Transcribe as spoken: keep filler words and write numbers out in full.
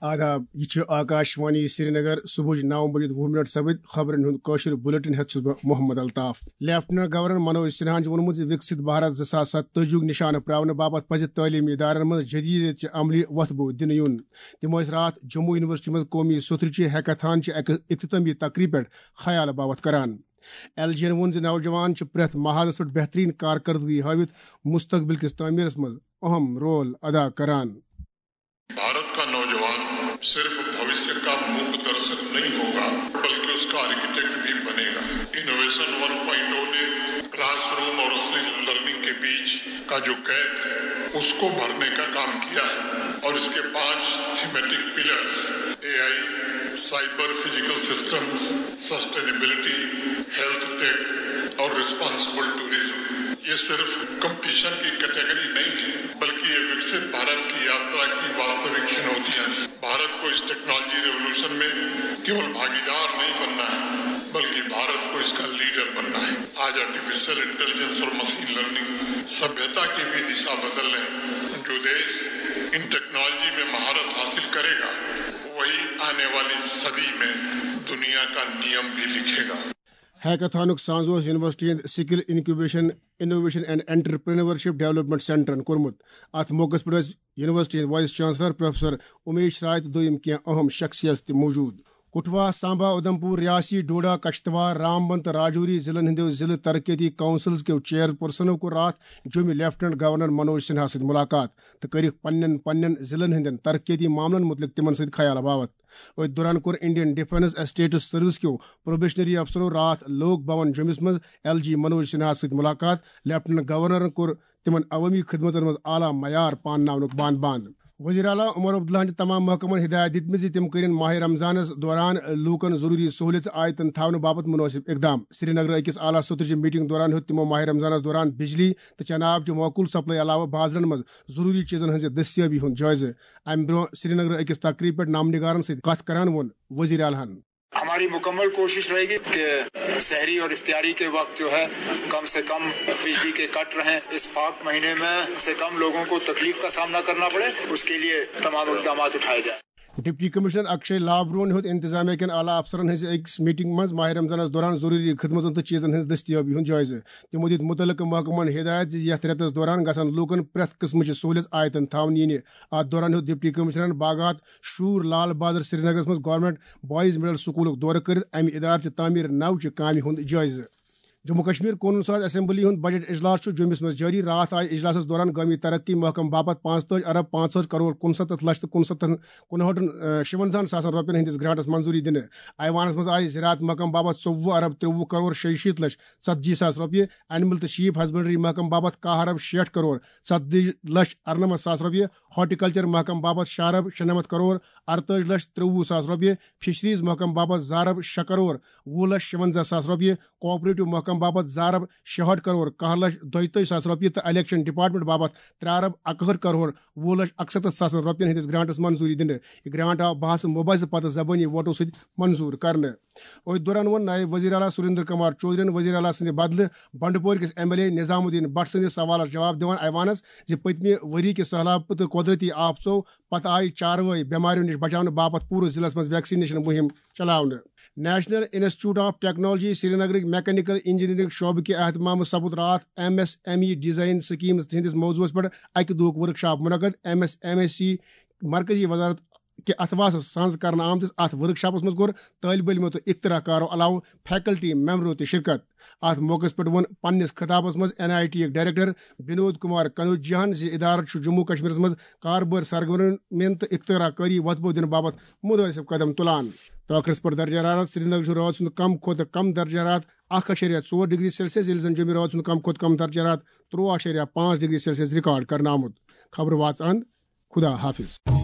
آداب، یہِ چھُ آکاش وانی سرینگر۔ صبحٕچ نو بجے وُہ منٹ سپٕدۍ۔ خبرن ہُنٛد کٲشُر بلیٹن ہٮ۪تھ چھُس بہٕ محمد الطاف۔ لیفٹیننٹ گورنر منوج سنہاہن چھُ ووٚنمُت زِ وِکسِت بھارت زٕ ساس ستٲجی ہُک نشانہٕ پراونہٕ باپتھ پزِ تعلیمی ادارن منٛز جدیدیت چہِ عملی وۄتھٕ بو دِنہٕ یُن۔ تِم ٲسۍ راتھ جموں یونیورسٹی منٛز قومی سترٕچہِ ہیکاتھان چہِ اکہِ اختتامی تقریبہِ پٮ۪ٹھ خیال باوتھ کران۔ ایل جی ین ووٚن زِ نوجوان چھِ پرٛٮ۪تھ محاذس پٮ۪ٹھ بہترین کارکردگی ہٲوِتھ مستقبل کِس تعمیرس منٛز اہم رول ادا کران۔ भारत का नौजवान सिर्फ भविष्य का मूक दर्शक नहीं होगा, बल्कि उसका आर्किटेक्ट भी बनेगा। इनोवेशन वन पॉइंट ओ ने क्लासरूम और असली लर्निंग के बीच का जो गैप है, उसको भरने का काम किया है और इसके पांच thematic pillars, AI, cyber physical systems, sustainability, health take और रिस्पॉन्सिबल टूरिज्म, ये सिर्फ कंपटीशन की कैटेगरी नहीं है, बल्कि ये विकसित भारत की यात्रा की वास्तविक चुनौतियां हैं। भारत को इस टेक्नोलॉजी रेवोल्यूशन में केवल भागीदार नहीं बनना है, बल्कि भारत को इसका लीडर बनना है। आज आर्टिफिशियल इंटेलिजेंस और मशीन लर्निंग सभ्यता की भी दिशा बदल रहे हैं। जो देश इन टेक्नोलॉजी में महारत हासिल करेगा, वही आने वाली सदी में दुनिया का नियम भी लिखेगा। ہیکاتھانُک سانز اوس یونیورسٹی ہٕنٛدۍ skill incubation, innovation and entrepreneurship development سینٹرن کوٚرمُت۔ اتھ موقعس پٮ۪ٹھ ٲسۍ یونیورسٹی ہٕنٛدۍ وائس چانسلر پروفیسر امیش رائے تہٕ دوٚیِم کینٛہہ اہم شخصیت تہِ موجود۔ کٹھوا، سامبا، اودھمپور، ریاسی، ڈوڈا، کشتواڑ، رامبن تہٕ راجوری ضلعن ہٕنٛدیو ضلعہٕ ترقیتی کونسلز کیو چیئرپرسنو کوٚر راتھ جوٚمہِ لیفٹیننٹ گورنر منوج سنہا سۭتۍ ملاقات تہٕ کٔرِکھ پننٮ۪ن پننٮ۪ن ضلعن ہٕنٛدٮ۪ن ترقیتی معاملن متعلق تِمن سۭتۍ خیال باوت۔ أتھۍ دوران کوٚر انڈین ڈیفنس اسٹیٹس سروس کیو پروبیشنری افسرو راتھ لوک بھون جوٚمِس منٛز ایل جی منوج سنہا سۭتۍ ملاقات۔ لیفٹیننٹ گورنرن کوٚر تِمن عوٲمی خدمتن منٛز اعلیٰ معیار پانناونُک بان بند۔ وزیر اعلیٰ عمر عبداللہن چھِ تمام محکمن ہدایت دِتمٕژ زِ تِم کٔرِن ماہِ رمضانس دوران لوٗکن ضروٗری سہوٗلیژٕ آیتن تھاونہٕ باپتھ مُنٲسِب اقدام۔ سرینگرٕ أکِس اعلیٰ سطحٕچہِ میٹنگ دوران ہیوٚت تِمو ماہِ رمضانس دوران بجلی تہٕ چنہٕ آب چہِ معقول سپلائی علاوٕ بازرن منٛز ضروٗری چیزن ہٕنٛزِ دٔستیٲبی ہُنٛد جٲیزٕ۔ امہِ برٛونٛہہ سرینگرٕ أکِس تقریبہِ پٮ۪ٹھ نامنگارن سۭتۍ کتھ کران ووٚن وزیر اعلیٰ ہن۔ ہماری مکمل کوشش رہے گی کہ سحری اور افطاری کے وقت جو ہے کم سے کم بجلی کے کٹ رہیں، اس پاک مہینے میں کم سے کم لوگوں کو تکلیف کا سامنا کرنا پڑے، اس کے لیے تمام اقدامات اٹھائے جائیں۔ ڈپٹی کمشنر اکشے لابرون ہیوٚت انتظامیہ کٮ۪ن اعلیٰ افسرن ہٕنٛزِ أکِس میٹنگ منٛز ماہِ رمضانس دوران ضروٗری خدمژن تہٕ چیزن ہٕنٛز دٔستیٲبی ہُنٛد جٲیزٕ۔ تِمو دِتۍ مُتعلقہٕ محکمن ہدایت زِ یتھ رٮ۪تس دوران گژھن لوٗکن پرٛٮ۪تھ قٕسمٕچہِ سہوٗلیت آیتن تھاونہٕ یِنہِ۔ اتھ دوران ہیوٚت ڈپٹی کمشنرن باغات شور لال بازر سرینگرس منٛز گورنمنٹ بوائز مڈل سکولُک دورٕ کٔرِتھ امہِ ادارٕ چہِ تعمیٖر نو چہِ کامہِ ہُنٛد جٲیزٕ۔ جموں کشمیر قونوٗن ساز اسمبلی ہُنٛد بجٹ اجلاس چھُ جوٚمِس منٛز جٲری۔ راتھ آیہِ اجلاسس دوران گٲمی ترقی محکمہٕ باپتھ پانٛژتٲجۍ ارب پانٛژہٲٹھ کرور کُنستتھ لچھ تہٕ کُنستتھ کُنہٲٹھن، اہ، شُونزاہن ساسن رۄپین ہٕنٛدِس گرانٹس منظوٗری دِنہٕ۔ ایوانس منٛز آیہِ زراعت محکمہٕ باپتھ ژوٚوُہ ارب ترٛوٚوُہ کرور شیٚیہِ شیٖتھ لچھ ژتجی ساس رۄپیہِ، اینیمل تہٕ شیپ ہسبنڈری محکمہٕ باپتھ کاہ ارب شیٹھ کرور ژتجی لچھ ارنمتھ ساس رۄپیہِ، ہارٹیکلچر محکمہٕ باپتھ شےٚ ارب شُنمتھ کرور ارتٲجۍ لچھ ترٛوٚوُہ ساس رۄپیہِ، فشریز محکمہٕ باپتھ زٕ ارب شےٚ کرور وُہ لچھ شُونزاہ ساس رۄپیہِ، کوآپریٹو محکمہٕ باپتھ زٕ ارب شُہٲٹھ کرور کاہ لچھ دۄیتٲجۍ ساس رۄپیہِ تہٕ الیکشن ڈپارٹمنٹ باپتھ ترٛےٚ ارب اکہٲٹھ کرور وُہ لچھ اکستتھ ساسن رۄپین ہٕنٛدِس گرانٹس منظوٗری دِنہٕ۔ یہِ گرانٹ آو بحث مباحثہٕ پتہٕ زبٲنی ووٹو سۭتۍ منظوٗر کرنہٕ۔ أتھۍ دوران ووٚن نائب وزیر اعلیٰ سریندر کمار چودھرین وزیر اعلیٰ سٕنٛدِ بدلہٕ بنڈپورِ کِس ایم ایل اے نظام الدین بٹ سٕنٛدِس سوالس جواب دِوان ایوانس زِ پٔتمہِ ؤری کہِ سہلابہٕ تہٕ قۄدرتی آفژو پتہٕ آیہِ چاروٲے بٮ۪ماریو نِش بچاونہٕ باپتھ پوٗرٕ ضلعس منٛز ویکسینیشن مُہِم چلاونہٕ۔ نیشنل انسٹیٹیوٹ آف ٹیکنالوجی سرینگرٕکۍ میکینیکل انجینئرنگ شعبہٕ کہِ اہتمامہٕ سپُد راتھ M S M E design schemes ہٕنٛدِس موضوعس پٮ۪ٹھ اکہِ دۄہُک ورکشاپ منعقد۔ ایم ایس ایم ای سی مرکزی وزارت کہِ اتھواسس سنز کرنہٕ آمتِس اتھ ورکشاپس منٛز کوٚر طٲلبہِ علمو تہٕ اختراع کارو علاوٕ فیکلٹی ممبرو تہِ شرکت۔ اتھ موقعس پٮ۪ٹھ ووٚن پننِس خطابس منٛز این آئی ٹی یٕکۍ ڈائریکٹر بنود کمار کنوجیاہن زِ ادارٕ چھُ جموں کشمیرس منٛز کاربٲرۍ سرگرمین تہٕ اختراع کٲری وۄتھٕ بو دِنہٕ باپتھ مُنٲسِب قدم تُلان۔ تہٕ ٲخرس پٮ۪ٹھ درجہ حرارت۔ سرینگر چھُ رٲژ ہُنٛد کم کھۄتہٕ کم درجہ حرارت اکھ اَشیریا ژور ڈگری سیلسیس، ییٚلہِ زن جوٚمہِ رٲژ ہُنٛد کم کھۄتہٕ کم درجہ حرارت ترٛوہ اَشیریا پانٛژھ ڈگری سیلسیس ریکارڈ کرنہٕ آمُت۔ خبرٕ واژٕ اند۔ خدا حافظ۔